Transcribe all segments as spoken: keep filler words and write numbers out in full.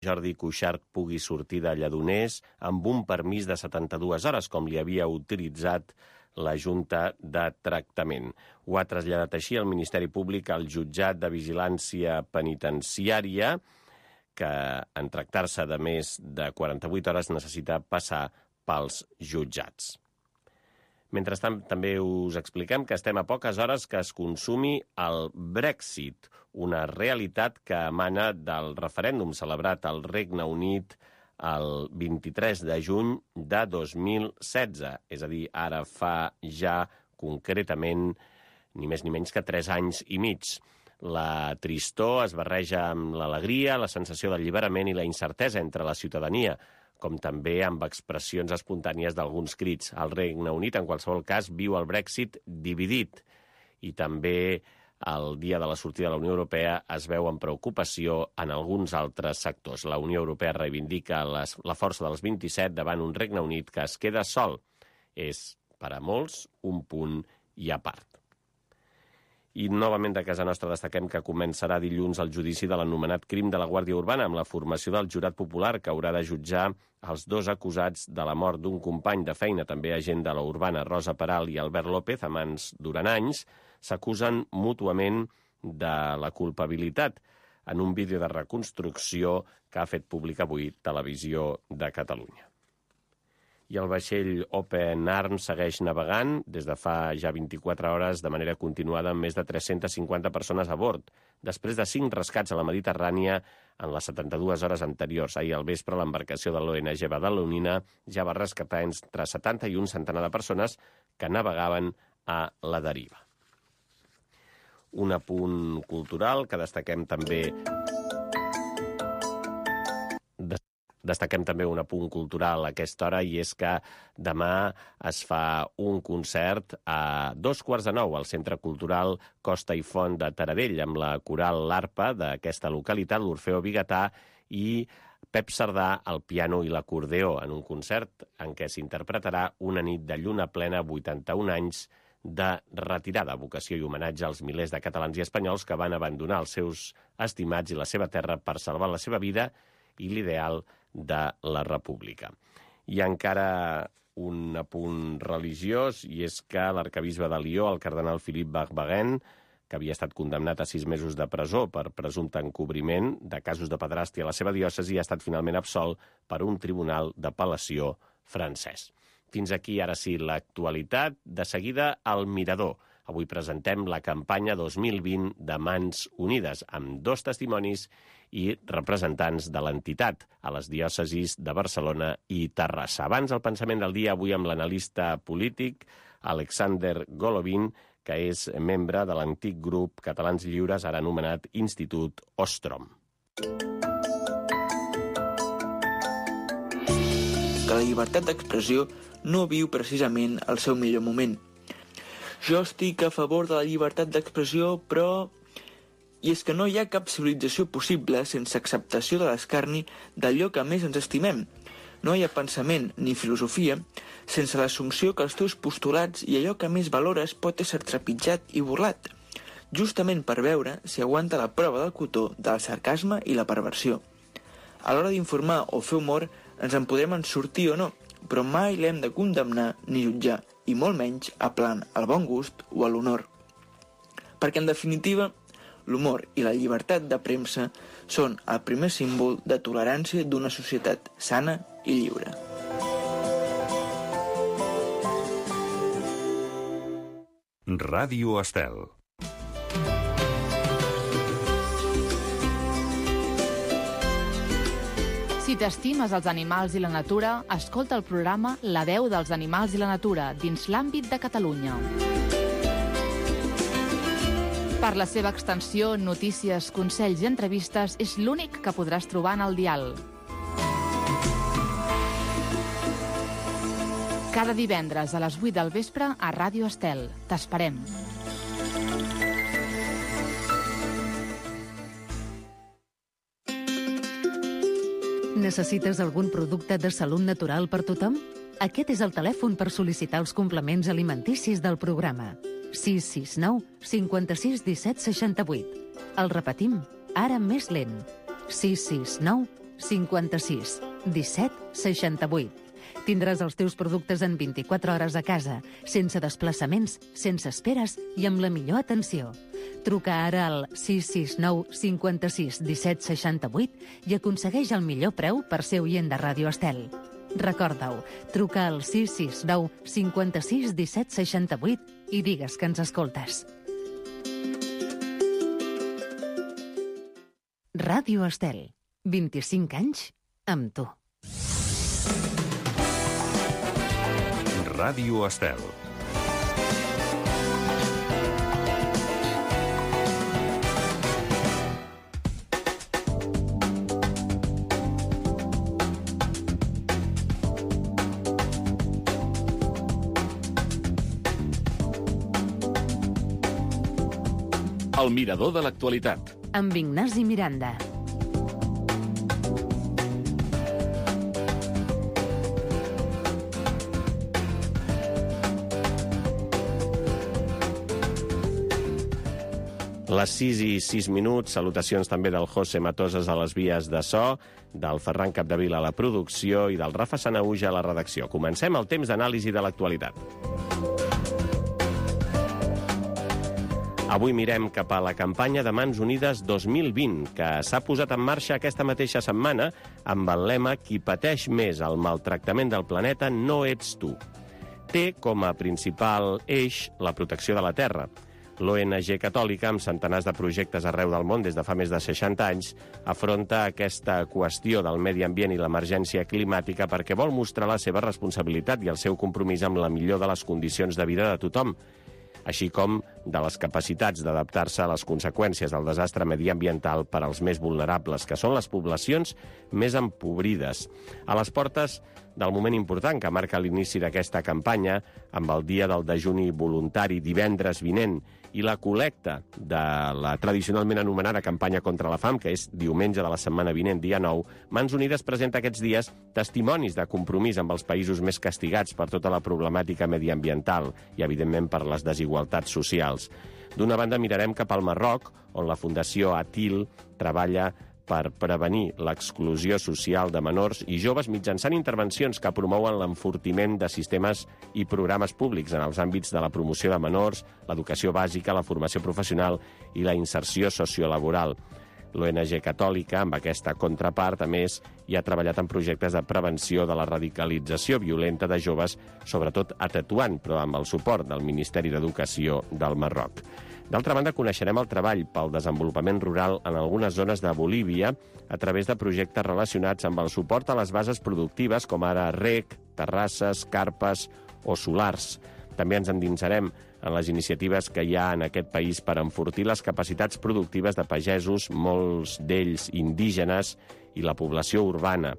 Jordi Cuixart pugui sortir de Lledoners amb un permís de setanta-dues hores, com li havia utilitzat la Junta de Tractament. Ho ha traslladat així el Ministeri Públic al Jutjat de Vigilància Penitenciària, que en tractar-se de més de quaranta-vuit hores necessita passar pels jutjats. Mentrestant, també us expliquem que estem a poques hores que es consumi el Brexit, una realitat que emana del referèndum celebrat al Regne Unit el vint-i-tres de juny de dos mil setze. És a dir, ara fa ja concretament ni més ni menys que tres anys i mig. La tristor es barreja amb l'alegria, la sensació d'alliberament i la incertesa entre la ciutadania, com també amb expressions espontànies d'alguns crits. El Regne Unit, en qualsevol cas, viu el Brexit dividit i també el dia de la sortida de la Unió Europea es veu amb preocupació en alguns altres sectors. La Unió Europea reivindica les, la força dels vint-i-set davant un Regne Unit que es queda sol. És, per a molts, un punt i a part. I novament de casa nostra destaquem que començarà dilluns el judici de l'anomenat crim de la Guàrdia Urbana amb la formació del jurat popular que haurà de jutjar els dos acusats de la mort d'un company de feina, també agent de la Urbana, Rosa Peral i Albert López, amants durant anys, s'acusen mútuament de la culpabilitat en un vídeo de reconstrucció que ha fet públic avui Televisió de Catalunya. I el vaixell Open Arms segueix navegant des de fa ja vint-i-quatre hores de manera continuada amb més de tres-centes cinquanta persones a bord, després de cinc rescats a la Mediterrània en les setanta-dues hores anteriors. Ahir al vespre l'embarcació de l'O N G Badalonina ja va rescatar entre setanta i un centenar de persones que navegaven a la deriva. Un apunt cultural que destaquem també... Destaquem també un apunt cultural a aquesta hora i és que demà es fa un concert a dos quarts de nou al Centre Cultural Costa i Font de Taradell amb la coral L'Arpa d'aquesta localitat, l'Orfeó Biguetà i Pep Cerdà al piano i l'acordeó en un concert en què s'interpretarà Una nit de lluna plena, vuitanta-un anys de retirada, vocació i homenatge als milers de catalans i espanyols que van abandonar els seus estimats i la seva terra per salvar la seva vida i l'ideal de la república. I encara un apunt religiós, i és que l'arcabisbe de Lió, el cardenal Philippe Barbaghen, que havia estat condemnat a sis mesos de presó per presumpte encobriment de casos de pederàstia a la seva diòcesi, ha estat finalment absolt per un tribunal d'apel·lació francès. Fins aquí, ara sí, l'actualitat. De seguida, el Mirador. Avui presentem la campanya dos mil vint de Mans Unides, amb dos testimonis i representants de l'entitat a les diòcesis de Barcelona i Terrassa. Abans, el pensament del dia, avui amb l'analista polític Alexander Golovin, que és membre de l'antic grup Catalans Lliures, ara anomenat Institut Ostrom. Que la llibertat d'expressió no viu precisament el seu millor moment. Jo estic a favor de la llibertat d'expressió, però... I és que no hi ha cap civilització possible sense acceptació de l'escarni d'allò que més ens estimem. No hi ha pensament ni filosofia sense l'assumpció que els teus postulats i allò que més valores pot ésser trepitjat i burlat, justament per veure si aguanta la prova del cotó del sarcasme i la perversió. A l'hora d'informar o fer humor ens en podem en sortir o no, però mai l'hem de condemnar ni jutjar, i molt menys aplant al bon gust o a l'honor. Perquè, en definitiva, l'humor i la llibertat de premsa són el primer símbol de tolerància d'una societat sana i lliure. Ràdio Estel. Si t'estimes els animals i la natura, escolta el programa La veu dels animals i la natura dins l'àmbit de Catalunya. Per la seva extensió, notícies, consells i entrevistes, és l'únic que podràs trobar en el dial. Cada divendres a les vuit del vespre a Ràdio Estel. T'esperem. Necessites algun producte de salut natural per tothom? Aquest és el telèfon per sol·licitar els complements alimenticis del programa. sis sis nou cinquanta-sis disset seixanta-vuit. El repetim, ara més lent. sis sis nou cinquanta-sis disset seixanta-vuit. Tindràs els teus productes en vint-i-quatre hores a casa, sense desplaçaments, sense esperes i amb la millor atenció. Truca ara al sis sis nou cinquanta-sis disset seixanta-vuit i aconsegueix el millor preu per ser oient de Ràdio Estel. Recorda-ho, truca al sis sis nou cinquanta-sis disset seixanta-vuit i digues que ens escoltes. Ràdio Estel, vint-i-cinc anys amb tu. Ràdio Estel. El mirador de l'actualitat. Amb Ignasi Miranda. Les sis i sis minuts, salutacions també del José Matoses a les vies de so, del Ferran Capdevila a la producció i del Rafa Sanauja a la redacció. Comencem el temps d'anàlisi de l'actualitat. Avui mirem cap a la campanya de Mans Unides dos mil vint, que s'ha posat en marxa aquesta mateixa setmana amb el lema «Qui pateix més el maltractament del planeta no ets tu». Té com a principal eix la protecció de la terra. L'O N G catòlica, amb centenars de projectes arreu del món des de fa més de seixanta anys, afronta aquesta qüestió del medi ambient i l'emergència climàtica perquè vol mostrar la seva responsabilitat i el seu compromís amb la millor de les condicions de vida de tothom, així com de les capacitats d'adaptar-se a les conseqüències del desastre mediambiental per als més vulnerables, que són les poblacions més empobrides. A les portes del moment important que marca l'inici d'aquesta campanya, amb el dia del dejuni voluntari divendres vinent i la col·lecta de la tradicionalment anomenada campanya contra la fam, que és diumenge de la setmana vinent, dia nou, Mans Unides presenta aquests dies testimonis de compromís amb els països més castigats per tota la problemàtica mediambiental i, evidentment, per les desigualtats socials. D'una banda, mirarem cap al Marroc, on la Fundació Atil treballa per prevenir l'exclusió social de menors i joves mitjançant intervencions que promouen l'enfortiment de sistemes i programes públics en els àmbits de la promoció de menors, l'educació bàsica, la formació professional i la inserció sociolaboral. L'O N G catòlica, amb aquesta contrapart, a més, hi ha treballat en projectes de prevenció de la radicalització violenta de joves, sobretot a Tetuan, però amb el suport del Ministeri d'Educació del Marroc. D'altra banda, coneixerem el treball pel desenvolupament rural en algunes zones de Bolívia a través de projectes relacionats amb el suport a les bases productives, com ara rec, terrasses, carpes o solars. També ens endinsarem en les iniciatives que hi ha en aquest país per enfortir les capacitats productives de pagesos, molts d'ells indígenes, i la població urbana.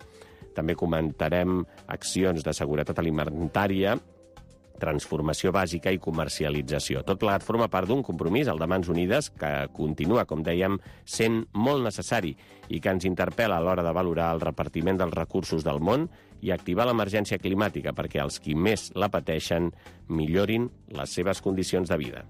També comentarem accions de seguretat alimentària, transformació bàsica i comercialització. Tot plegat forma part d'un compromís, el de Mans Unides, que continua, com dèiem, sent molt necessari i que ens interpel·la a l'hora de valorar el repartiment dels recursos del món i activar l'emergència climàtica perquè els qui més la pateixen millorin les seves condicions de vida.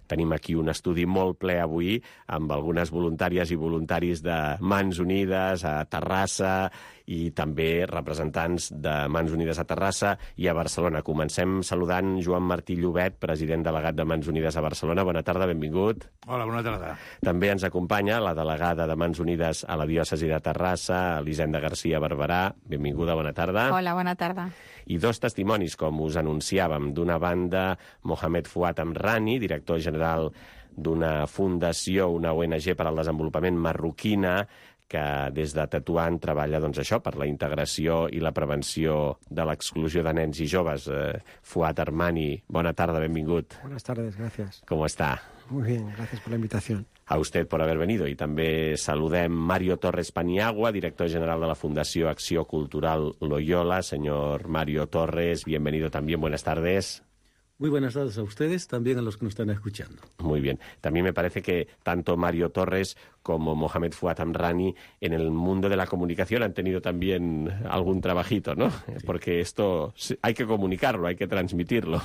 Tenim aquí un estudi molt ple avui amb algunes voluntàries i voluntaris de Mans Unides a Terrassa i també representants de Mans Unides a Terrassa i a Barcelona. Comencem saludant Joan Martí Llobet, president delegat de Mans Unides a Barcelona. Bona tarda, benvingut. Hola, bona tarda. També ens acompanya la delegada de Mans Unides a la diòcesi de Terrassa, Elisenda García Barberà. Benvinguda, bona tarda. Hola, bona tarda. I dos testimonis, com us anunciàvem. D'una banda, Mohamed Fuad Amrani, director general d'una fundació, una O N G per al desenvolupament marroquina, que des de Tetuan treballa doncs, això per la integració i la prevenció de l'exclusió de nens i joves. Eh, Fuad Amrani, bona tarda, benvingut. Buenas tardes, gracias. ¿Cómo está? Muy bien, gracias por la invitación. A usted por haber venido. Y també saludem Mario Torres Paniagua, director general de la Fundació Acció Cultural Loyola. Señor Mario Torres, bienvenido también. Buenas tardes. Muy buenas tardes a ustedes, también a los que nos están escuchando. Muy bien. También me parece que tanto Mario Torres como Mohamed Fuad Amrani en el mundo de la comunicación han tenido también algún trabajito, ¿no? Sí. Porque esto hay que comunicarlo, hay que transmitirlo.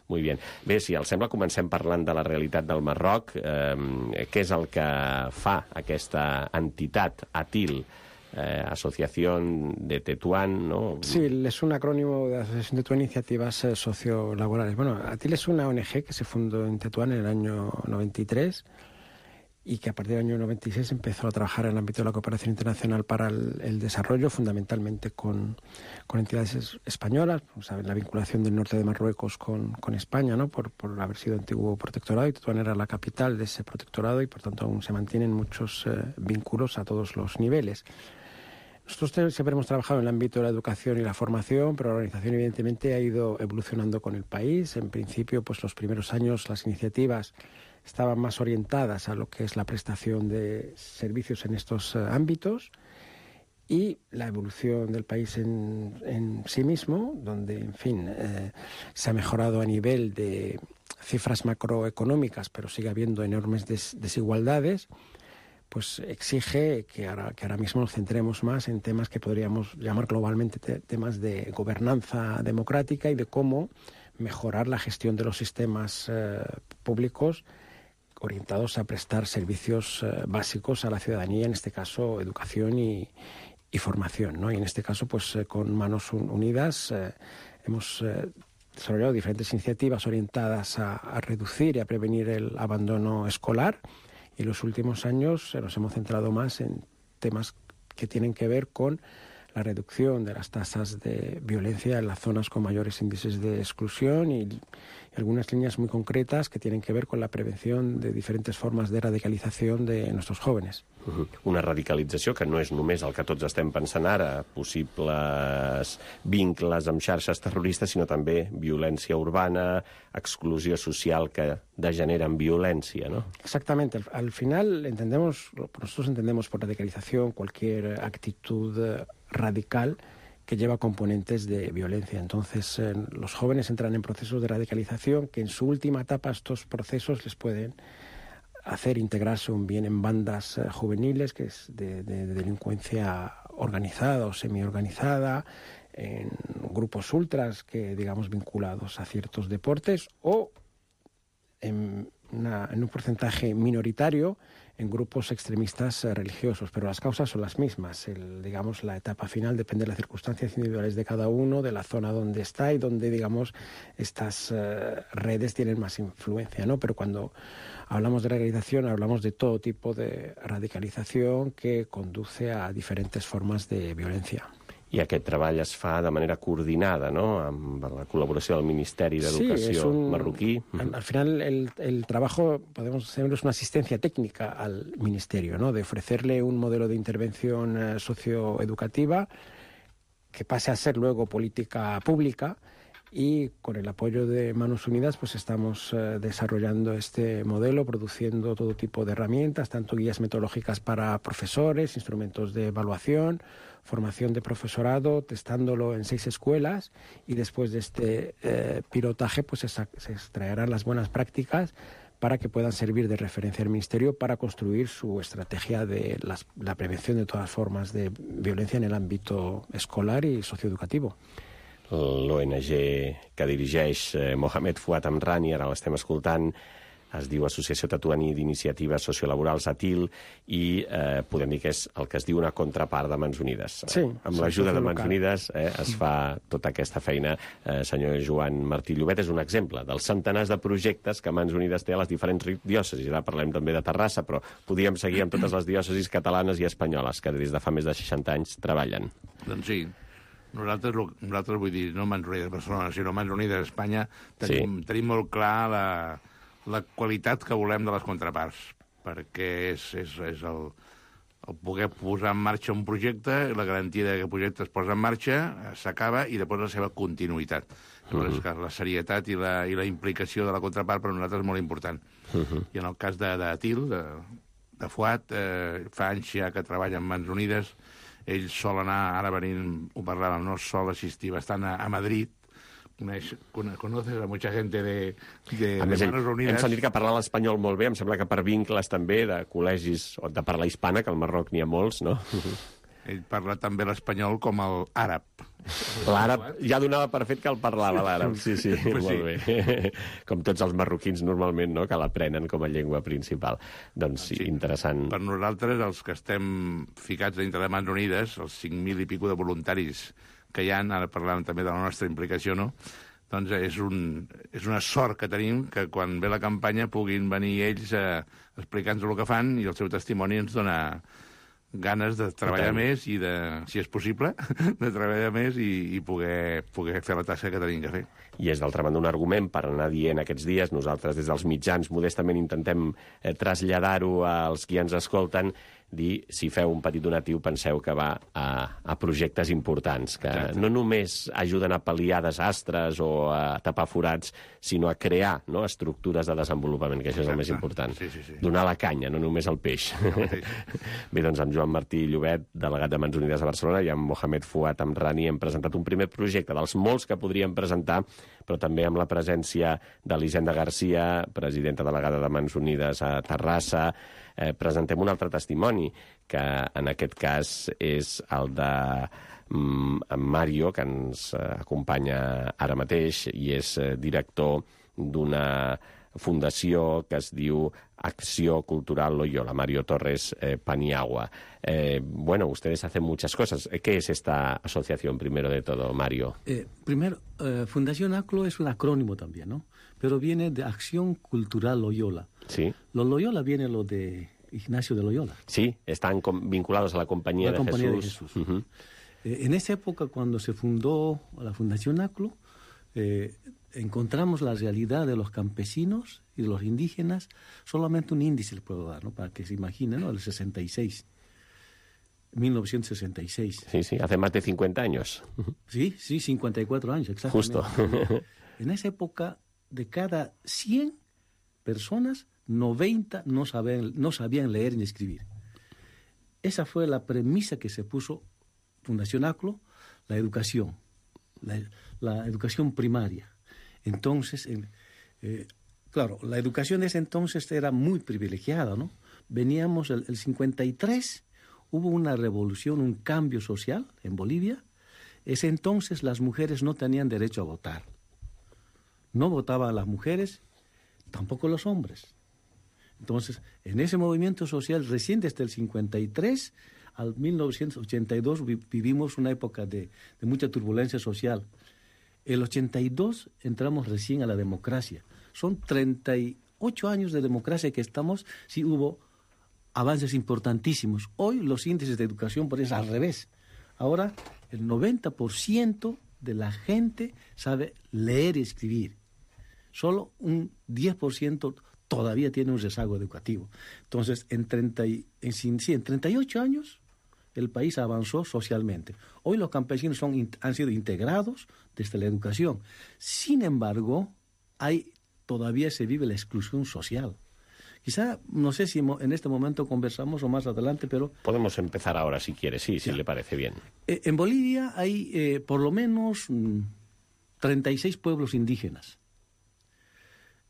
Muy bien. Bé, si els sembla, comencem parlant de la realitat del Marroc. Eh, què és el que fa aquesta entitat, ATIL, Eh, Asociación de Tetuán, ¿no? Sí, es un acrónimo de Asociación de Tetuán, Iniciativas eh, Sociolaborales. Bueno, ATIL es una O N G que se fundó en Tetuán en el año noventa y tres y que a partir del año noventa y seis empezó a trabajar en el ámbito de la cooperación internacional para el, el desarrollo, fundamentalmente con, con entidades es, españolas. O sea, la vinculación del norte de Marruecos con, con España, ¿no? Por, por haber sido antiguo protectorado, y Tetuán era la capital de ese protectorado y por tanto aún se mantienen muchos eh, vínculos a todos los niveles. Nosotros siempre hemos trabajado en el ámbito de la educación y la formación, pero la organización evidentemente ha ido evolucionando con el país. En principio, pues los primeros años las iniciativas estaban más orientadas a lo que es la prestación de servicios en estos uh, ámbitos, y la evolución del país en, en sí mismo, donde, en fin, eh, se ha mejorado a nivel de cifras macroeconómicas, pero sigue habiendo enormes des desigualdades, pues exige que ahora, que ahora mismo nos centremos más en temas que podríamos llamar globalmente te temas de gobernanza democrática y de cómo mejorar la gestión de los sistemas eh, públicos orientados a prestar servicios eh, básicos a la ciudadanía, en este caso educación y, y formación, ¿no? Y en este caso, pues eh, con Manos Unidas eh, hemos eh, desarrollado diferentes iniciativas orientadas a, a reducir y a prevenir el abandono escolar. Y en los últimos años nos hemos centrado más en temas que tienen que ver con la reducción de las tasas de violencia en las zonas con mayores índices de exclusión y, y algunas líneas muy concretas que tienen que ver con la prevención de diferentes formas de radicalización de nuestros jóvenes. Uh-huh. Una radicalització que no és només el que tots estem pensant ara, possibles vincles amb xarxes terroristes, sinó també violència urbana, exclusió social que degenera en violència, ¿no? Exactamente. Al, al final entendemos, nosotros entendemos por radicalización cualquier actitud radical que lleva componentes de violencia. Entonces, eh, los jóvenes entran en procesos de radicalización que en su última etapa estos procesos les pueden hacer integrarse un bien en bandas eh, juveniles, que es de, de, de delincuencia organizada o semi-organizada, en grupos ultras que, digamos, vinculados a ciertos deportes, o en, una, en un porcentaje minoritario en grupos extremistas eh, religiosos, pero las causas son las mismas. El, digamos, la etapa final depende de las circunstancias individuales de cada uno, de la zona donde está y donde, digamos, estas eh, redes tienen más influencia, ¿no? Pero cuando hablamos de radicalización, hablamos de todo tipo de radicalización que conduce a diferentes formas de violencia. I aquest treball es fa de manera coordinada, ¿no? Amb la col·laboració del Ministeri d'Educació sí, un, marroquí. Al, al final el, el trabajo, podemos decirlo, es una asistencia técnica al Ministerio, ¿no? De ofrecerle un modelo de intervención eh, socioeducativa que pase a ser luego política pública, y con el apoyo de Manos Unidas pues estamos eh, desarrollando este modelo, produciendo todo tipo de herramientas, tanto guías metodológicas para profesores, instrumentos de evaluación, formación de profesorado, testándolo en seis escuelas, y después de este eh, pilotaje pues se, se extraerán las buenas prácticas para que puedan servir de referencia al Ministerio para construir su estrategia de las, la prevención de todas formas de violencia en el ámbito escolar y socioeducativo. L'O N G que dirigeix eh, Mohamed Fuad Amrani, ara l'estem escoltant, es diu Associació Tetuaní d'Iniciatives Sociolaborals, ATIL, i eh, podem dir que és el que es diu una contrapart de Mans Unides. Sí, amb l'ajuda de Mans Unides eh, es fa tota aquesta feina. Eh, senyor Joan Martí Llobet, és un exemple dels centenars de projectes que Mans Unides té a les diferents diòcesis. Ara parlem també de Terrassa, però podríem seguir amb totes les diòcesis catalanes i espanyoles que des de fa més de seixanta anys treballen. Doncs sí. Nosaltres, nosaltres vull dir, no Mans Unides de Barcelona, sinó Mans Unides d'Espanya, tenim, sí. tenim molt clar la, la qualitat que volem de les contraparts, perquè és, és, és el, el poder posar en marxa un projecte, la garantia que el projecte es posa en marxa, s'acaba, i després la seva continuïtat. Llavors, uh -huh. la serietat i la, i la implicació de la contrapart per a nosaltres és molt important. Uh -huh. I en el cas de, de Til, de, de Fuad, eh, fa anys ja que treballa amb Mans Unides. Ell sol anar, ara venint, ho parlàvem, no sol assistir bastant a, a Madrid coneix, conoces a mucha gente de, de, a de més, Manos Unidas. Hem sentit que parlava l'espanyol molt bé, em sembla que per vincles també de col·legis o de parla hispana, que al Marroc n'hi ha molts, no? Ell parla també l'espanyol com el àrab. L'àrab, ja donava per fet que el parlava l'àrab, sí, sí, pues molt sí. bé. Com tots els marroquins normalment, no?, que l'aprenen com a llengua principal. Doncs sí, Sí. interessant. Per nosaltres, els que estem ficats dintre de Mans Unides, els cinc mil i pico de voluntaris que hi ha, ara parlàvem també de la nostra implicació, no?, doncs és, un, és una sort que tenim que quan ve la campanya puguin venir ells eh, explicant-nos el que fan i el seu testimoni ens dona ganes de treballar més i, de, si és possible, de treballar més i, i poder, poder fer la tasca que tenim que fer. I és, d'altra banda, un argument per anar dient aquests dies. Nosaltres, des dels mitjans, modestament intentem eh, traslladar-ho als qui ens escolten, dir, si feu un petit donatiu, penseu que va a, a projectes importants, que Exacte. No només ajuden a pal·liar desastres o a tapar forats, sinó a crear, no?, estructures de desenvolupament, que això és Exacte. El més important. Sí, sí, sí. Donar la canya, no només el peix. Bé, doncs amb Joan Martí Llobet, delegat de Mans Unides de Barcelona, i amb Mohamed Fouad Amrani hem presentat un primer projecte dels molts que podríem presentar, però també amb la presència d'Elisenda Garcia, presidenta delegada de Mans Unides a Terrassa. Eh, presentem un altre testimoni, que en aquest cas és el de mm, Mario, que ens eh, acompanya ara mateix, i és eh, director d'una fundació que es diu Acció Cultural Loyola, Mario Torres eh, Paniagua. Eh, bueno, ustedes hacen muchas cosas. ¿Qué es esta asociación, primero de todo, Mario? Eh, primero, eh, Fundación A C L O es un acrónimo también, ¿no? Pero viene de Acción Cultural Loyola. Sí. Los Loyola viene lo de Ignacio de Loyola. Sí, están vinculados a la Compañía, la de, compañía Jesús. de Jesús. Uh-huh. eh, en esa época, cuando se fundó la Fundación A C L O, eh, encontramos la realidad de los campesinos y de los indígenas, solamente un índice les puedo dar, ¿no?, para que se imaginen, ¿no?, el sesenta y seis, mil novecientos sesenta y seis. Sí, sí, hace más de cincuenta años. Sí, sí, cincuenta y cuatro años, exactamente. Justo. En esa época, de cada cien personas, noventa no sabían, no sabían leer ni escribir. Esa fue la premisa que se puso Fundación A C L O, la educación, la, la educación primaria. Entonces, eh, eh, claro, la educación de ese entonces era muy privilegiada, ¿no? Veníamos, el, el cincuenta y tres, hubo una revolución, un cambio social en Bolivia. Ese entonces las mujeres no tenían derecho a votar. No votaban las mujeres, tampoco los hombres. Entonces, en ese movimiento social, recién desde el cincuenta y tres al mil novecientos ochenta y dos, vi, vivimos una época de, de mucha turbulencia social. El ochenta y dos entramos recién a la democracia. Son treinta y ocho años de democracia que estamos, sí hubo avances importantísimos. Hoy los índices de educación por eso al revés. Ahora el noventa por ciento de la gente sabe leer y escribir. Solo un diez por ciento todavía tiene un rezago educativo. Entonces, en, treinta y, en, sí, en treinta y ocho años el país avanzó socialmente. Hoy los campesinos son, han sido integrados desde la educación. Sin embargo, hay, todavía se vive la exclusión social. Quizá, no sé si en este momento conversamos o más adelante, pero... Podemos empezar ahora, si quiere, sí, ya. Si le parece bien. Eh, en Bolivia hay eh, por lo menos mm, treinta y seis pueblos indígenas.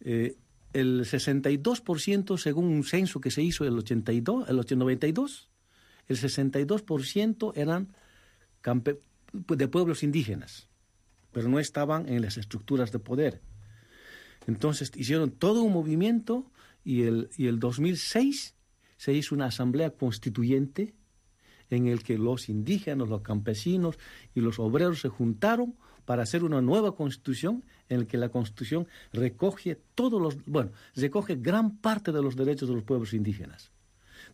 Eh, el sesenta y dos por ciento, según un censo que se hizo en el ochenta y dos, el noventa y dos, el sesenta y dos por ciento eran campe- de pueblos indígenas, pero no estaban en las estructuras de poder. Entonces hicieron todo un movimiento y el, y el dos mil seis se hizo una asamblea constituyente en el que los indígenas, los campesinos y los obreros se juntaron para hacer una nueva constitución en la que la constitución recoge todos los, bueno, recoge gran parte de los derechos de los pueblos indígenas,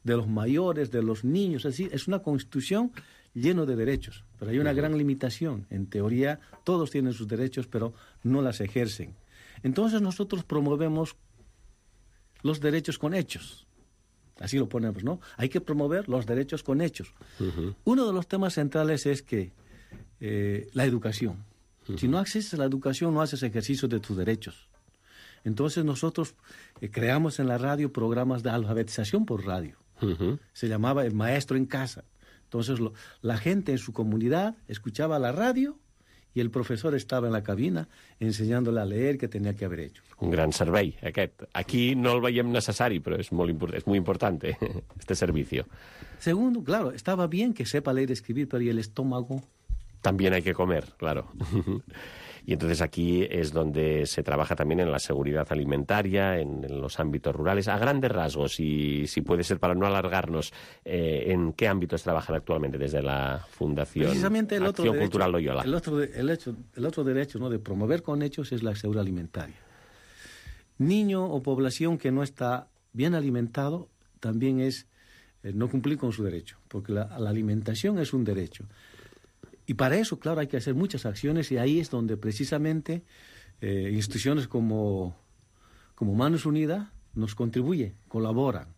de los mayores, de los niños, así es una constitución llena de derechos, pero hay una uh-huh. gran limitación. En teoría todos tienen sus derechos, pero no las ejercen. Entonces nosotros promovemos los derechos con hechos. Así lo ponemos, ¿no? Hay que promover los derechos con hechos. Uh-huh. Uno de los temas centrales es que eh, la educación. Uh-huh. Si no accedes a la educación, no haces ejercicio de tus derechos. Entonces nosotros eh, creamos en la radio programas de alfabetización por radio. Uh-huh. Se llamaba El Maestro en Casa. Entonces lo, la gente en su comunidad escuchaba la radio y el profesor estaba en la cabina enseñándole a leer que tenía que haber hecho. Un gran servei, aquest. Aquí no el veiem necessari, però és molt, import és muy importante este servicio. Segundo, claro, estaba bien que sepa leer y escribir, pero ¿y el estómago? También hay que comer, claro. Y entonces aquí es donde se trabaja también en la seguridad alimentaria, en, en los ámbitos rurales, a grandes rasgos, y si puede ser para no alargarnos, eh, ¿en qué ámbitos trabajan actualmente desde la Fundación Precisamente el otro Acción derecho, Cultural Loyola? El otro, de, el hecho, el otro derecho, ¿no?, de promover con hechos es la seguridad alimentaria. Niño o población que no está bien alimentado también es eh, no cumplir con su derecho, porque la, la alimentación es un derecho. Y para eso, claro, hay que hacer muchas acciones, y ahí es donde precisamente eh, instituciones como, como Manos Unidas nos contribuyen, colaboran.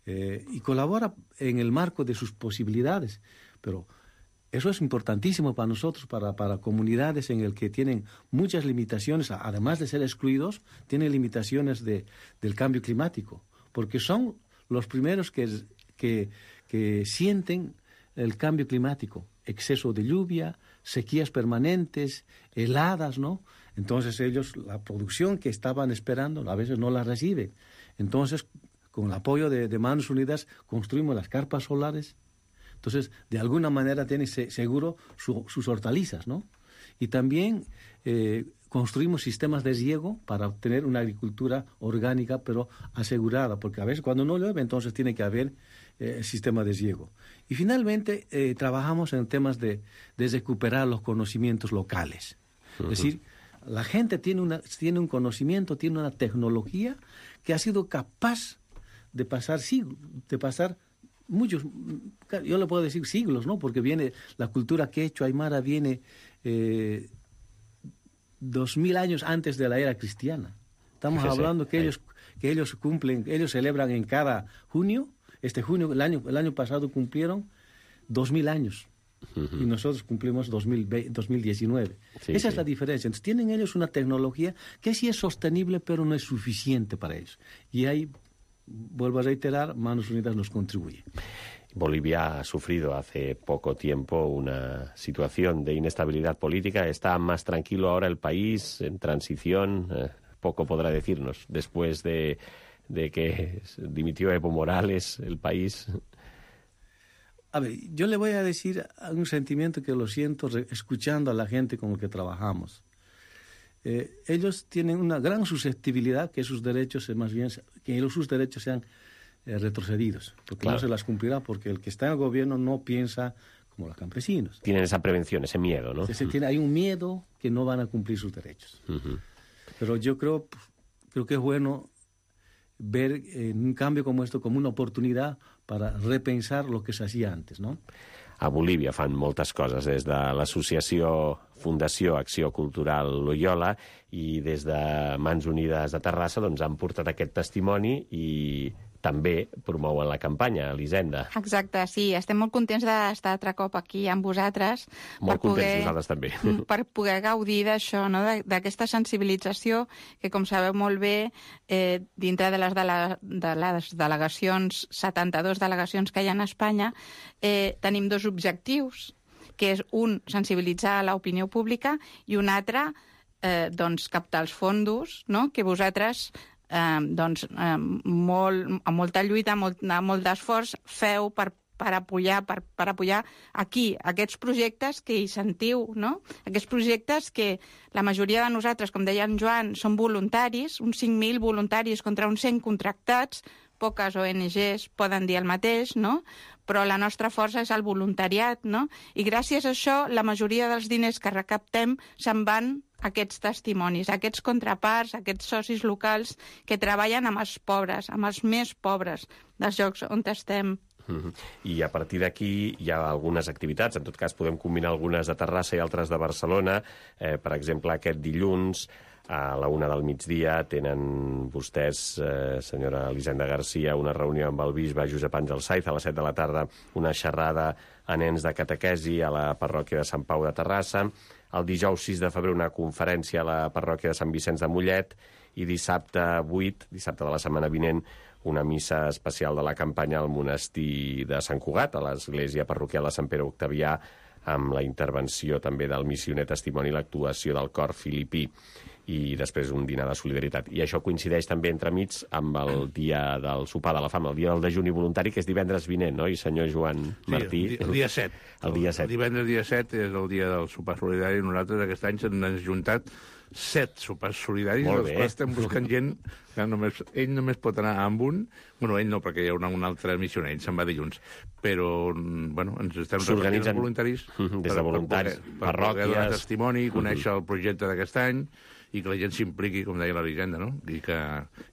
Eh, y colabora en el marco de sus posibilidades. Pero eso es importantísimo para nosotros, para, para comunidades en el que tienen muchas limitaciones, además de ser excluidos, tienen limitaciones de, del cambio climático, porque son los primeros que, que, que sienten el cambio climático. Exceso de lluvia, sequías permanentes, heladas, ¿no? Entonces ellos, la producción que estaban esperando, a veces no la reciben. Entonces, con el apoyo de, de Manos Unidas, construimos las carpas solares. Entonces, de alguna manera tienen seguro su, sus hortalizas, ¿no? Y también eh, construimos sistemas de riego para obtener una agricultura orgánica, pero asegurada, porque a veces cuando no llueve, entonces tiene que haber eh, sistema de riego. Y finalmente eh, trabajamos en temas de, de recuperar los conocimientos locales. Uh-huh. Es decir, la gente tiene, una, tiene un conocimiento, tiene una tecnología que ha sido capaz de pasar siglos, de pasar muchos, yo le puedo decir siglos, ¿no? Porque viene la cultura quechua aymara viene eh, dos mil años antes de la era cristiana. Estamos Fíjese, hablando que ellos, que ellos cumplen, ellos celebran en cada junio. Este junio, el año, el año pasado cumplieron dos mil años. Uh-huh. Y nosotros cumplimos dos mil diecinueve. Sí, Esa sí. es la diferencia. Entonces tienen ellos una tecnología que sí es sostenible, pero no es suficiente para eso. Y ahí, vuelvo a reiterar, Manos Unidas nos contribuye. Bolivia ha sufrido hace poco tiempo una situación de inestabilidad política. ¿Está más tranquilo ahora el país, en transición? Eh, poco podrá decirnos después de... de que dimitió Evo Morales, el país. A ver, yo le voy a decir un sentimiento que lo siento escuchando a la gente con la que trabajamos. Eh, ellos tienen una gran susceptibilidad que sus derechos, más bien, que sus derechos sean eh, retrocedidos, porque claro. no se las cumplirá, porque el que está en el gobierno no piensa como los campesinos. Tienen esa prevención, ese miedo, ¿no? Se, tiene, hay un miedo que no van a cumplir sus derechos. Uh-huh. Pero yo creo, creo que es bueno ver eh, un cambio como esto como una oportunidad para repensar lo que se hacía antes, ¿no? A Bolívia fan moltes coses, des de l'associació Fundació Acció Cultural Loyola i des de Mans Unides de Terrassa doncs, han portat aquest testimoni i també promouen la campanya, Elisenda. Exacte, sí. Estem molt contents d'estar altre cop aquí amb vosaltres. Molt contents poder, nosaltres també. Per poder gaudir d'això, no? d'aquesta sensibilització que, com sabeu molt bé, eh, dintre de les, de, la, de les delegacions, setanta-dues delegacions que hi ha a Espanya, eh, tenim dos objectius, que és un, sensibilitzar l'opinió pública, i un altre, eh, doncs, captar els fondos, no? que vosaltres... Eh, doncs, eh, molt, amb molta lluita, molt, molt d'esforç, feu per, per, apoyar, per, per apoyar aquí aquests projectes que hi sentiu, no? Aquests projectes que la majoria de nosaltres, com deia en Joan, són voluntaris, uns cinc mil voluntaris contra uns cent contractats, poques O N Ges poden dir el mateix, no? Però la nostra força és el voluntariat, no? I gràcies a això, la majoria dels diners que recaptem se'n van aquests testimonis, aquests contraparts, aquests socis locals que treballen amb els pobres, amb els més pobres dels llocs on estem. Mm-hmm. I a partir d'aquí hi ha algunes activitats, en tot cas podem combinar algunes de Terrassa i altres de Barcelona. Eh, per exemple, aquest dilluns a la una del migdia tenen vostès, eh, senyora Elisenda Garcia, una reunió amb el bisbe Josep Àngel Saiz. A les set de la tarda una xerrada a nens de catequesi a la parròquia de Sant Pau de Terrassa. El dijous sis de febrer una conferència a la parròquia de Sant Vicenç de Mollet i dissabte vuit, dissabte de la setmana vinent, una missa especial de la campanya al monestir de Sant Cugat, a l'església parroquial de Sant Pere Octavià, amb la intervenció també del missioner testimoni, l'actuació del cor filipí, i després un dinar de solidaritat. I això coincideix també entremig amb el dia del sopar de la fam, el dia del dejuni voluntari, que és divendres vinent, oi, senyor Joan Martí? Sí, el dia set. El dia set. El divendres dia set és el dia del sopar solidari. Nosaltres aquest any s'han juntat set sopars solidaris, dels quals estem buscant gent que només, ell només pot anar amb un, bueno, ell no, perquè hi haurà un altre missioner, ell se'n va dilluns, però, bueno, ens estem repartint els voluntaris des de voluntaris, per, per, per poder donar testimoni, conèixer el projecte d'aquest any, i que la gent s'impliqui, com deia l'Elisenda, no? I que,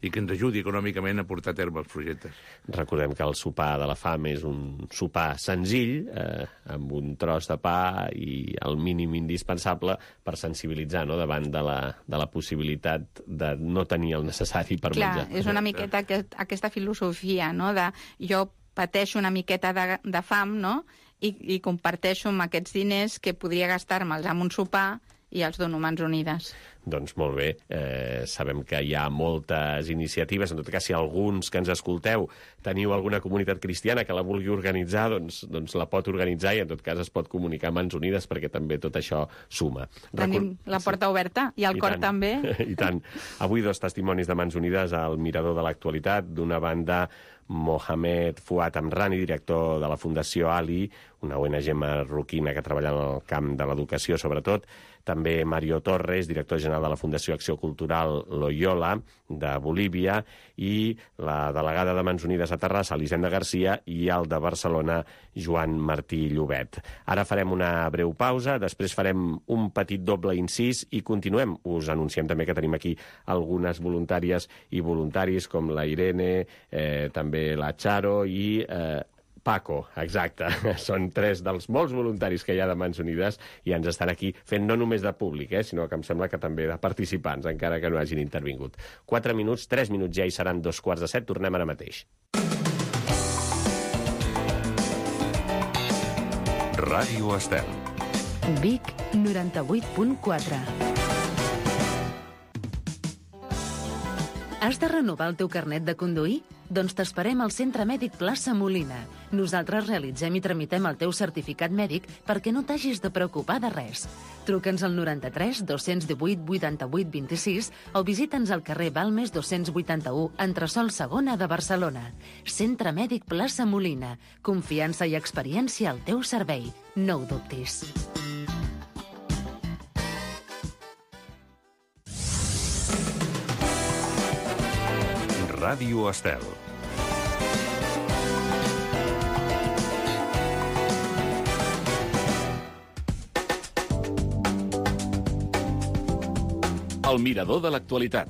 i que ens ajudi econòmicament a portar a terme els projectes. Recordem que el sopar de la fam és un sopar senzill, eh, amb un tros de pa i el mínim indispensable per sensibilitzar, no?, davant de la, de la possibilitat de no tenir el necessari per Clar, menjar. Clar, és una miqueta aquest, aquesta filosofia, no?, de jo pateixo una miqueta de, de fam, no?, i, i comparteixo amb aquests diners que podria gastar-me'ls amb un sopar i els dono Mans Unides. Doncs molt bé, eh, sabem que hi ha moltes iniciatives, en tot cas si alguns que ens escolteu teniu alguna comunitat cristiana que la vulgui organitzar, doncs, doncs la pot organitzar i en tot cas es pot comunicar a Mans Unides perquè també tot això suma. Tenim Recor la porta oberta i el I cor tant. també. I tant. Avui dos testimonis de Mans Unides al Mirador de l'Actualitat, d'una banda Mohamed Fuad Amrani, director de la Fundació Ali, una O N G marroquina que treballa en el camp de l'educació sobretot, també Mario Torres, director general de la Fundació Acció Cultural Loyola de Bolívia, i la delegada de Mans Unides a Terrassa, Elisenda Garcia, i el de Barcelona, Joan Martí Llobet. Ara farem una breu pausa, després farem un petit doble incís i continuem. Us anunciem també que tenim aquí algunes voluntàries i voluntaris com la Irene, eh, també la Charo i eh, Paco, exacte. Són tres dels molts voluntaris que hi ha de Mans Unides i ens estan aquí fent no només de públic, eh, sinó que em sembla que també de participants, encara que no hagin intervingut. Quatre minuts, tres minuts ja i seran dos quarts de set. Tornem ara mateix. Ràdio Estel. Vic, noranta-vuit punt quatre. Has de renovar el teu carnet de conduir? Doncs t'esperem al Centre Mèdic Plaça Molina. Nosaltres realitzem i tramitem el teu certificat mèdic perquè no t'hagis de preocupar de res. Truca'ns al noranta-tres dos-cents divuit vuitanta-vuit vint-i-sis o visita'ns al carrer Balmes dos-cents vuitanta-u, entresòl segona de Barcelona. Centre Mèdic Plaça Molina. Confiança i experiència al teu servei. No ho dubtis. Ràdio Estel. El mirador de l'actualitat.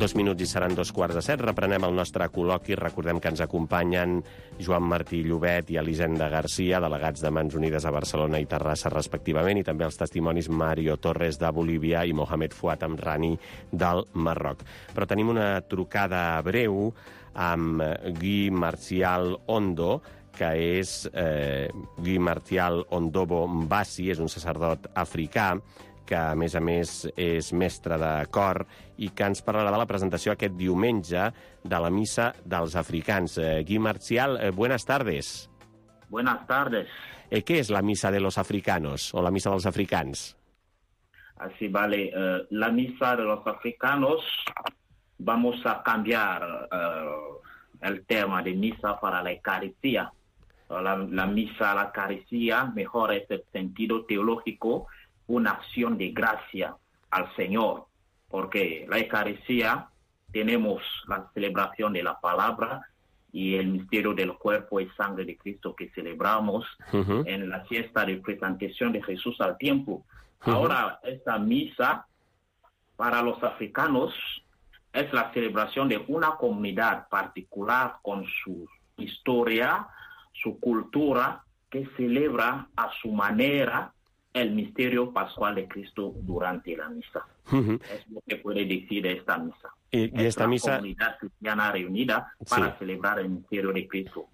Dos minuts i seran dos quarts de set. Reprenem el nostre col·loqui. Recordem que ens acompanyen Joan Martí Llobet i Elisenda Garcia, delegats de Mans Unides a Barcelona i Terrassa, respectivament, i també els testimonis Mario Torres de Bolívia i Mohamed Fuad Amrani del Marroc. Però tenim una trucada breu amb Guy Martial Ondo, que és eh, Guy Martial Ondobo Mbassi, és un sacerdot africà, que a més a més és mestre de cor i que ens parlarà de la presentació aquest diumenge de la missa dels africans. Eh, Guy Martial, eh, buenas tardes. Buenas tardes. Eh, ¿Qué es la misa de los africanos o la misa dels africans? Así vale. Uh, la misa de los africanos, vamos a cambiar uh, el tema de misa para la Eucaristía. La, la misa a la Eucaristía, mejor es el sentido teológico, una acción de gracia al Señor, porque la Eucaristía tenemos la celebración de la palabra y el misterio del cuerpo y sangre de Cristo que celebramos uh-huh. en la fiesta de presentación de Jesús al tiempo. Uh-huh. Ahora, esta misa para los africanos es la celebración de una comunidad particular con su historia, su cultura, que celebra a su manera el misterio pascual de Cristo durante la misa. Uh-huh. Es lo que puede decir de esta misa. Y, y es esta una misa... comunidad cristiana reunida para sí. celebrar el misterio de Cristo.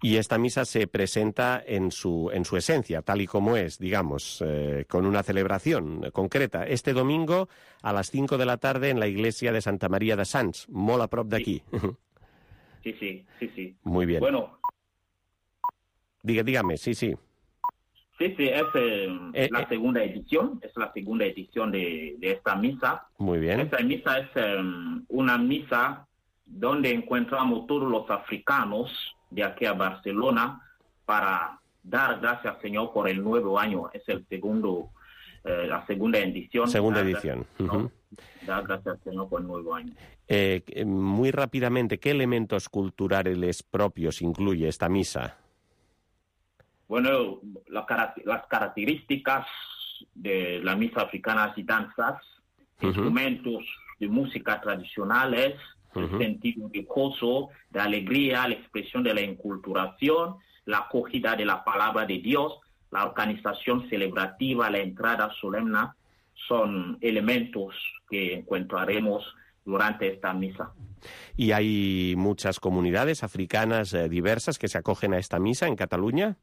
Y esta misa se presenta en su, en su esencia, tal y como es, digamos, eh, con una celebración concreta. Este domingo a las cinco de la tarde en la iglesia de Santa María de Sants, molt a prop d'aquí. Sí, sí, sí, sí. Muy bien. Bueno. Diga, dígame, sí, sí. Sí, sí, es eh, eh, la eh. segunda edición, es la segunda edición de, de esta misa. Muy bien. Esta misa es eh, una misa donde encontramos todos los africanos de aquí a Barcelona para dar gracias al Señor por el nuevo año. Es el segundo, eh, la segunda edición. Segunda dar edición. Gracias, Uh-huh. Dar gracias al Señor por el nuevo año. Eh, muy rápidamente, ¿qué elementos culturales propios incluye esta misa? Bueno, la, las características de la misa africana y danzas, uh-huh. instrumentos de música tradicionales, uh-huh. el sentido de gozo, de alegría, la expresión de la enculturación, la acogida de la palabra de Dios, la organización celebrativa, la entrada solemne, son elementos que encontraremos durante esta misa. ¿Y hay muchas comunidades africanas eh, diversas que se acogen a esta misa en Cataluña?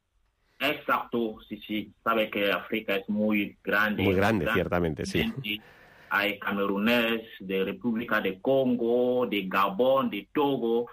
Exacto, sí, sí. Sabe que África es muy grande. Muy grande, grande ciertamente, sí. Hay camerunés de República de Congo, de Gabón, de Togo.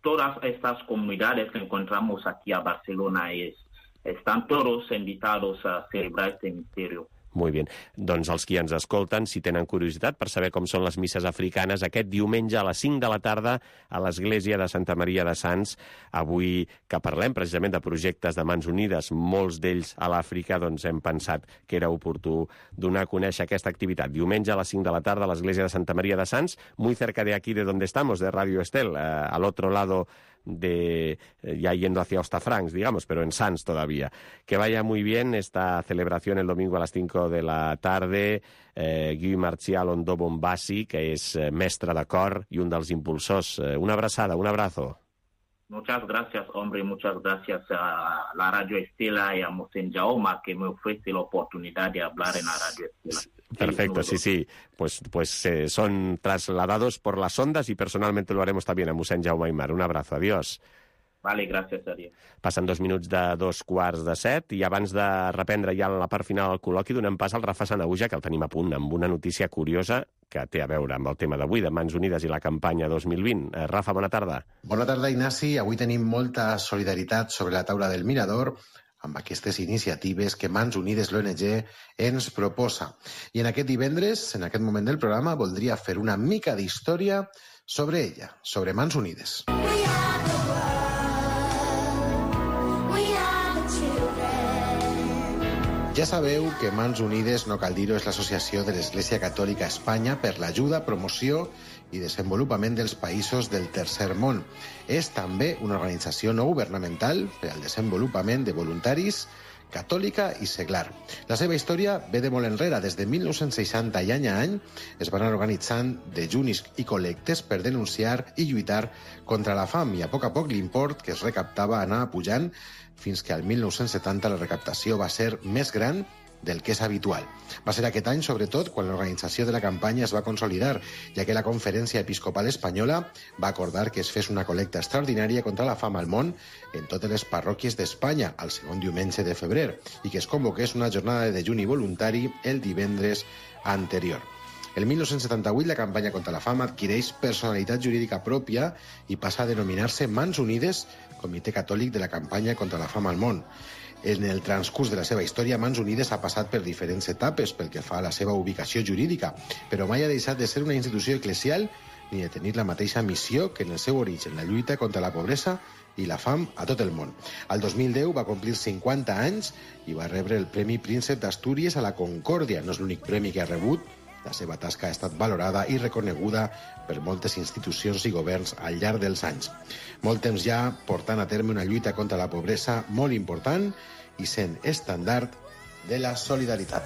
Todas estas comunidades que encontramos aquí a Barcelona es, están todos invitados a celebrar este misterio. Molt bé. Doncs els qui ens escolten, si tenen curiositat per saber com són les misses africanes, aquest diumenge a les cinc de la tarda a l'església de Santa Maria de Sants, avui que parlem precisament de projectes de Mans Unides, molts d'ells a l'Àfrica, doncs hem pensat que era oportú donar a conèixer aquesta activitat. Diumenge a les cinc de la tarda a l'església de Santa Maria de Sants, muy cerca de aquí de donde estamos, de Radio Estel, eh, al otro lado de ya yendo hacia Hostafrancs, digamos, pero en Sants todavía. Que vaya muy bien esta celebración el domingo a las cinco de la tarde. Eh, Guy Marcial Ondó Bombassi, que és eh, mestre de cor i un dels impulsors. Eh, una abraçada, un abrazo. Muchas gracias, hombre, muchas gracias a la Radio Estela y a Mosén Jaume, que me ofrece la oportunidad de hablar en la Radio Estela. Perfecto, sí, sí. Pues, pues eh, son trasladados por las ondas y personalmente lo haremos también a Mosén Jaume Aymar. Un abrazo, adiós. Vale, gràcies, adiós. Passen dos minuts de dos quarts de set i abans de reprendre ja la part final del col·loqui donem pas al Rafa Sanahuja, que el tenim a punt, amb una notícia curiosa que té a veure amb el tema d'avui, de Mans Unides i la campanya dos mil vint. Eh, Rafa, bona tarda. Bona tarda, Ignasi. Avui tenim molta solidaritat sobre la taula del Mirador amb aquestes iniciatives que Mans Unides l'O N G ens proposa. I en aquest divendres, en aquest moment del programa, voldria fer una mica d'història sobre ella, sobre Mans Unides. Ja sabeu que Mans Unides, no cal dir-ho, és l'associació de l'Església Catòlica a Espanya per l'ajuda, promoció i desenvolupament dels països del tercer món. És també una organització no governamental per al desenvolupament de voluntaris, catòlica i seglar. La seva història ve de molt enrere. Des de mil nou-cents seixanta i any a any es van organitzant dejunis i col·lectes per denunciar i lluitar contra la fam i a poc a poc l'import que es recaptava anava pujant fins que al mil nou-cents setanta la recaptació va ser més gran del que és habitual. Va ser aquest any, sobretot, quan l'organització de la campanya es va consolidar, ja que la Conferència Episcopal Espanyola va acordar que es fes una col·lecta extraordinària contra la fam al món en totes les parròquies d'Espanya, al segon diumenge de febrer, i que es convoqués una jornada de dejuni voluntari el divendres anterior. El mil nou-cents setanta-vuit la campanya contra la fam adquireix personalitat jurídica pròpia i passa a denominar-se Mans Unides, Comitè Catòlic de la Campanya contra la Fam al Món. En el transcurs de la seva història, Mans Unides ha passat per diferents etapes pel que fa a la seva ubicació jurídica, però mai ha deixat de ser una institució eclesial ni de tenir la mateixa missió que en el seu origen, la lluita contra la pobresa i la fam a tot el món. Al dos mil deu va complir cinquanta anys i va rebre el Premi Príncep d'Astúries a la Concòrdia. No és l'únic premi que ha rebut. La seva tasca ha estat valorada i reconeguda per moltes institucions i governs al llarg dels anys. Molt temps ja portant a terme una lluita contra la pobresa molt important i sent estàndard de la solidaritat.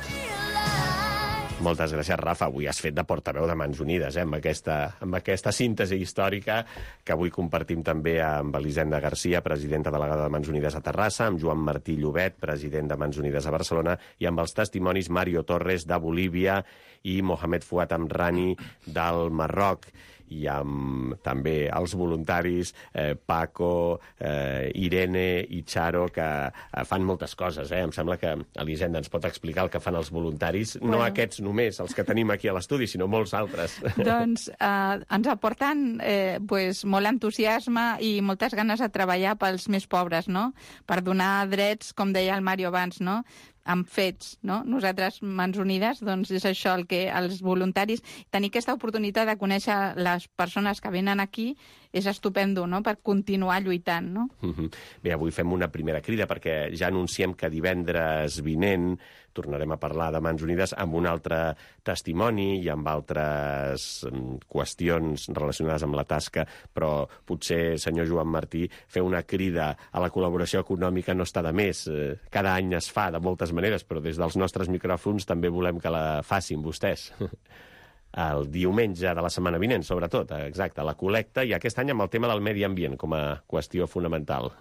Moltes gràcies, Rafa. Avui has fet de portaveu de Mans Unides, eh? amb, aquesta, amb aquesta síntesi històrica que avui compartim també amb Elisenda Garcia, presidenta delegada de Mans Unides a Terrassa, amb Joan Martí Llobet, president de Mans Unides a Barcelona, i amb els testimonis Mario Torres de Bolívia i Mohamed Fouad Amrani del Marroc. i amb també els voluntaris, eh, Paco, eh, Irene i Charo, que eh, fan moltes coses. Eh? Em sembla que Elisenda ens pot explicar el que fan els voluntaris, bueno. No aquests només, els que tenim aquí a l'estudi, sinó molts altres. Doncs eh, ens aporten eh, pues, molt entusiasme i moltes ganes de treballar pels més pobres, no? Per donar drets, com deia el Mario abans, no? Amb fets, no? Nosaltres, Mans Unides, doncs és això el que els voluntaris... Tenir aquesta oportunitat de conèixer les persones que venen aquí és estupendo, no?, per continuar lluitant, no? Mm-hmm. Bé, avui fem una primera crida perquè ja anunciem que divendres vinent tornarem a parlar de Mans Unides amb un altre testimoni i amb altres qüestions relacionades amb la tasca, però potser, senyor Joan Martí, fer una crida a la col·laboració econòmica no està de més. Cada any es fa de moltes maneres, però des dels nostres micròfons també volem que la facin vostès. El diumenge de la setmana vinent, sobretot, exacte, la col·lecta, i aquest any amb el tema del medi ambient com a qüestió fonamental.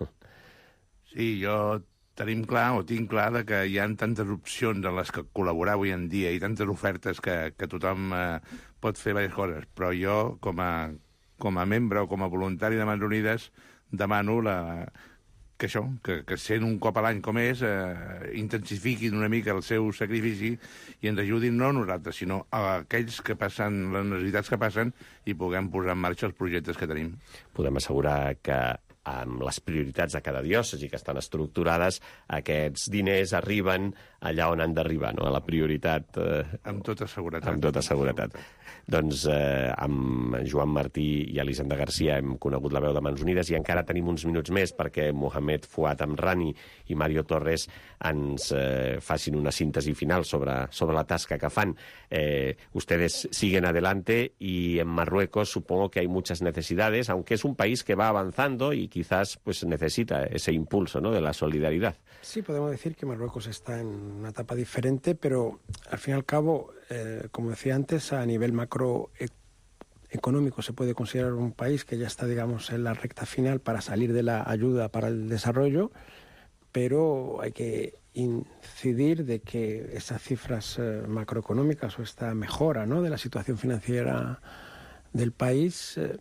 Sí, jo tenim clar, o tinc clar, de que hi ha tantes opcions en les que col·laborar avui en dia i tantes ofertes que, que tothom eh, pot fer diverses coses, però jo, com a, com a membre o com a voluntari de Mans Unides, demano la, que això, que, que sent un cop a l'any com és, eh, intensifiquin una mica el seu sacrifici i ens ajudin no a nosaltres, sinó a aquells que passen, les necessitats que passen, i puguem posar en marxa els projectes que tenim. Podem assegurar que amb les prioritats de cada diòcesi que estan estructurades, aquests diners arriben allà on han d'arribar, no? A la prioritat... Eh, amb tota seguretat. Amb tota seguretat. Doncs eh, amb Joan Martí i Elisenda Garcia hem conegut la veu de Mans Unides i encara tenim uns minuts més perquè Mohamed Fuad Amrani i Mario Torres ens eh, facin una síntesi final sobre, sobre la tasca que fan. Eh, ustedes siguen adelante y en Marruecos supongo que hay muchas necesidades, aunque es un país que va avanzando y quizás pues necesita ese impulso, ¿no?, de la solidaridad. Sí, podemos decir que Marruecos está en una etapa diferente, pero al fin y al cabo, eh, como decía antes, a nivel macroeconómico se puede considerar un país que ya está, digamos, en la recta final para salir de la ayuda para el desarrollo, pero hay que incidir de que esas cifras eh, macroeconómicas o esta mejora, ¿no?, de la situación financiera del país eh,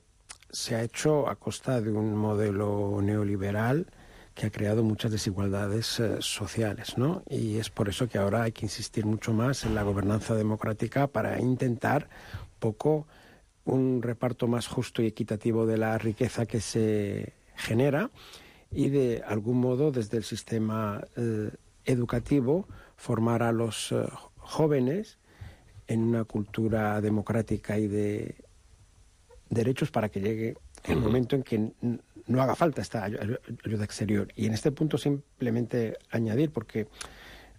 se ha hecho a costa de un modelo neoliberal que ha creado muchas desigualdades eh, sociales, ¿no? Y es por eso que ahora hay que insistir mucho más en la gobernanza democrática para intentar un poco un reparto más justo y equitativo de la riqueza que se genera y de algún modo desde el sistema eh, educativo formar a los eh, jóvenes en una cultura democrática y de derechos para que llegue el momento en que no haga falta esta ayuda exterior. Y en este punto simplemente añadir, porque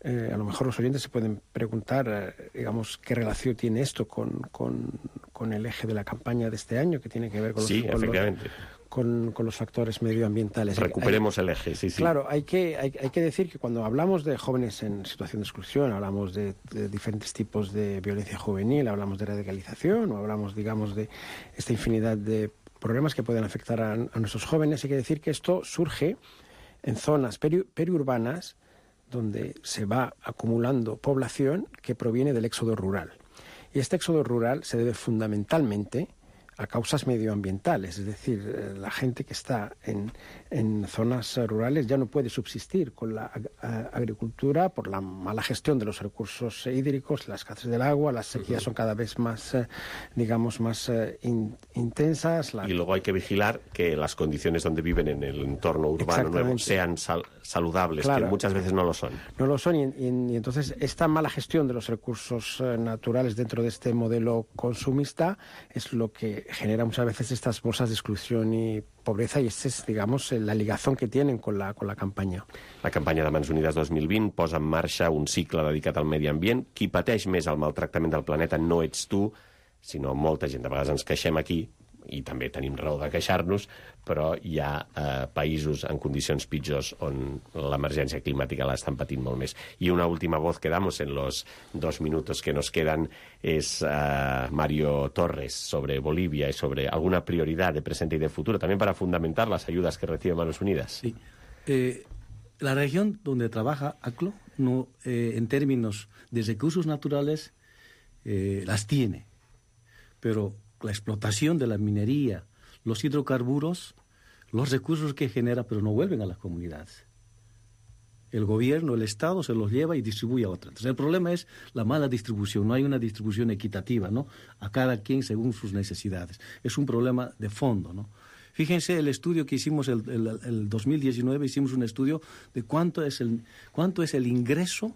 eh, a lo mejor los oyentes se pueden preguntar, eh, digamos, qué relación tiene esto con, con, con el eje de la campaña de este año, que tiene que ver con los, sí, con efectivamente. los, con, con los factores medioambientales. Recuperemos hay, el eje, sí, sí. Claro, hay que, hay, hay que decir que cuando hablamos de jóvenes en situación de exclusión, hablamos de, de diferentes tipos de violencia juvenil, hablamos de radicalización o hablamos, digamos, de esta infinidad de problemas que pueden afectar a, a nuestros jóvenes. Hay que decir que esto surge en zonas peri, periurbanas donde se va acumulando población que proviene del éxodo rural. Y este éxodo rural se debe fundamentalmente a causas medioambientales, es decir, la gente que está en, en zonas rurales ya no puede subsistir con la agricultura por la mala gestión de los recursos hídricos, la escasez del agua, las sequías son cada vez más, digamos, más in, intensas. La... Y luego hay que vigilar que las condiciones donde viven en el entorno urbano nuevo sean sal saludables, claro, que muchas veces no lo son. No lo son y, y, y entonces esta mala gestión de los recursos naturales dentro de este modelo consumista es lo que genera muchas veces estas bolsas de exclusión y pobreza, i esta és, digamos, la ligazón que tienen con la, con la campanya. La campanya de Mans Unides dos mil vint posa en marxa un cicle dedicat al medi ambient. Qui pateix més el maltractament del planeta no ets tu, sinó molta gent. De vegades ens queixem aquí, i també tenim raó de queixar-nos, però hi ha eh, països en condicions pitjors on l'emergència climàtica l'estan patint molt més. I una última voz que damos en los dos minutos que nos quedan es eh, Mario Torres sobre Bolivia y sobre alguna prioridad de presente y de futuro, también para fundamentar las ayudas que recibe Manos Unidas. Sí. Eh, la región donde trabaja A C L O, no, eh, en términos de recursos naturales, eh, las tiene, pero la explotación de la minería, los hidrocarburos, los recursos que genera, pero no vuelven a las comunidades. El gobierno, el Estado se los lleva y distribuye a otras. Entonces, el problema es la mala distribución. No hay una distribución equitativa, ¿no? A cada quien según sus necesidades. Es un problema de fondo, ¿no? Fíjense el estudio que hicimos el, el, el dos mil diecinueve, hicimos un estudio de cuánto es el, cuánto es el ingreso